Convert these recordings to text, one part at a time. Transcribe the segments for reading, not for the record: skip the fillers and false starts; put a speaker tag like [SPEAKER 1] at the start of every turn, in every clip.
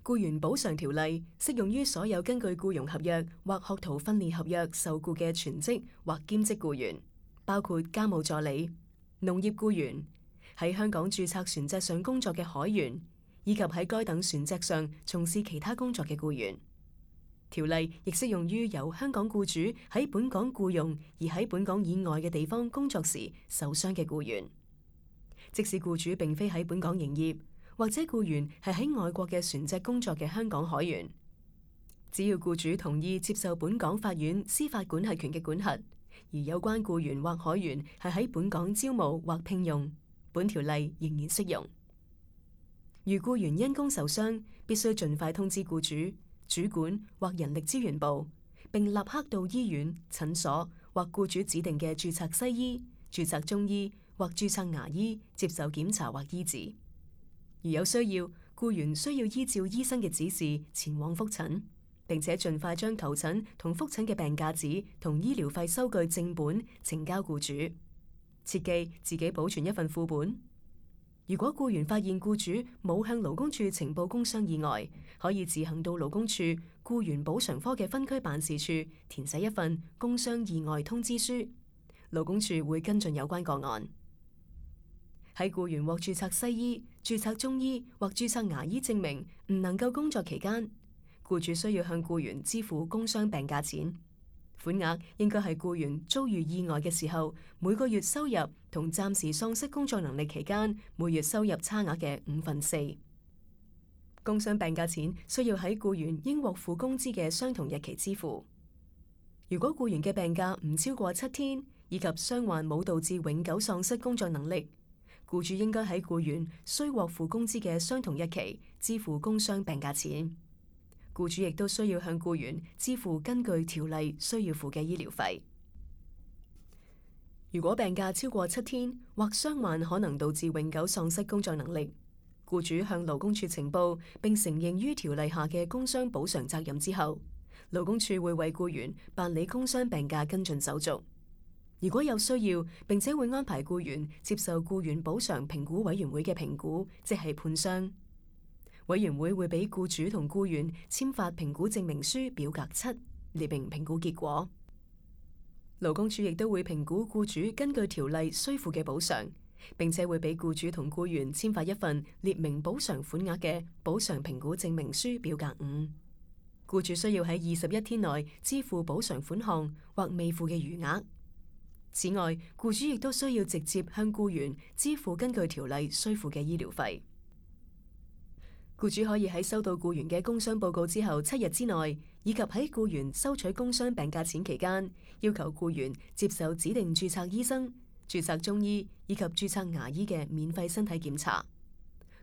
[SPEAKER 1] 僱員補償條例適用於所有根據僱傭合約或學徒訓練合約受僱嘅全職或兼職僱員，包括家務助理、農業僱員、喺香港註冊船隻上工作嘅海員，以及喺該等船隻上從事其他工作嘅僱員。條例亦適用於由香港僱主喺本港僱用而喺本港以外嘅地方工作時受傷嘅僱員。即使僱主並非喺本港營業，或者僱員係喺外國嘅船隻工作嘅香港海員，只要僱主同意接受本港法院司法管轄權嘅管轄，而有關僱員或海員係喺本港招募或聘用，本條例仍然適用。如僱員因工受傷，必須盡快通知僱主、主管或人力資源部，並立刻到醫院、診所或僱主指定嘅註冊西醫、註冊中醫或註冊牙醫接受檢查或醫治。如有需要，僱員需要依照醫生嘅指示前往覆診，並且盡快將求診同覆診嘅病假紙同醫療費收據正本呈交僱主。切記自己保存一份副本。如果僱員發現僱主冇向勞工處呈報工傷意外，可以自行到勞工處僱員補償科嘅分區辦事處填寫一份工傷意外通知書，勞工處會跟進有關個案。喺僱員獲註冊西醫、註冊中醫或註冊牙醫證明唔能夠工作期間，僱主需要向僱員支付工傷病假錢，款額應該係僱員遭遇意外嘅時候每個月收入同暫時喪失工作能力期間每月收入差額嘅4/5。工傷病假錢需要喺僱員應獲付工資嘅相同日期支付。如果僱員嘅病假唔超過7天，以及傷患冇導致永久喪失工作能力，僱主應該喺僱員需獲付工資嘅相同日期支付工傷病假錢。僱主亦都需要向僱員支付根據條例需要付嘅醫療費。如果病假超過7天或傷患可能導致永久喪失工作能力，僱主向勞工處呈報並承認於條例下嘅工傷補償責任之後，勞工處會為僱員辦理工傷病假跟進手續。如果有需要，並且會安排僱員接受僱員補償評估委員會嘅評估，即係判傷。委員會會俾僱主同僱員簽發評估證明書表格7，列明評估結果。勞工處亦都會評估僱主根據條例需付嘅補償，並且會俾僱主同僱員簽發一份列明補償款額嘅補償評估證明書表格5。僱主需要喺21天內支付補償款項或未付嘅餘額。此外，僱主亦都需要直接向僱員支付根據條例需付嘅醫療費。僱主可以喺收到僱員嘅工傷報告之後7日之內，以及喺僱員收取工傷病假錢期間，要求僱員接受指定註冊醫生、註冊中醫以及註冊牙醫嘅免費身體檢查。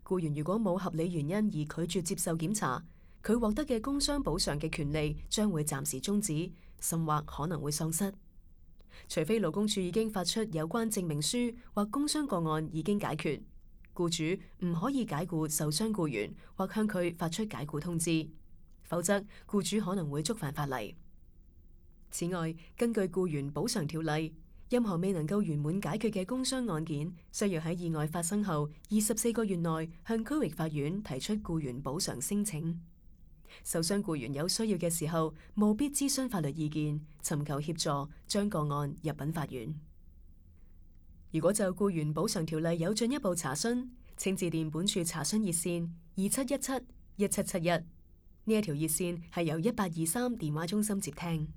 [SPEAKER 1] 僱員如果冇合理原因而拒絕接受檢查，佢獲得嘅工傷補償嘅權利將會暫時終止，甚或可能會喪失。除非勞工處已經發出有關證明書或工傷個案已經解決，僱主唔可以解僱受傷僱員或向佢發出解僱通知，否則僱主可能會觸犯法例。此外，根據僱員補償條例，任何未能夠圓滿解決嘅工傷案件，需要喺意外發生後24個月內向區域法院提出僱員補償聲請。受傷僱員有需要嘅時候，務必諮詢法律意見，尋求協助，將個案入稟法院。如果就僱員補償條例有進一步查詢，請致電本處查詢熱線2717-1771。呢一條熱線係由1823電話中心接聽。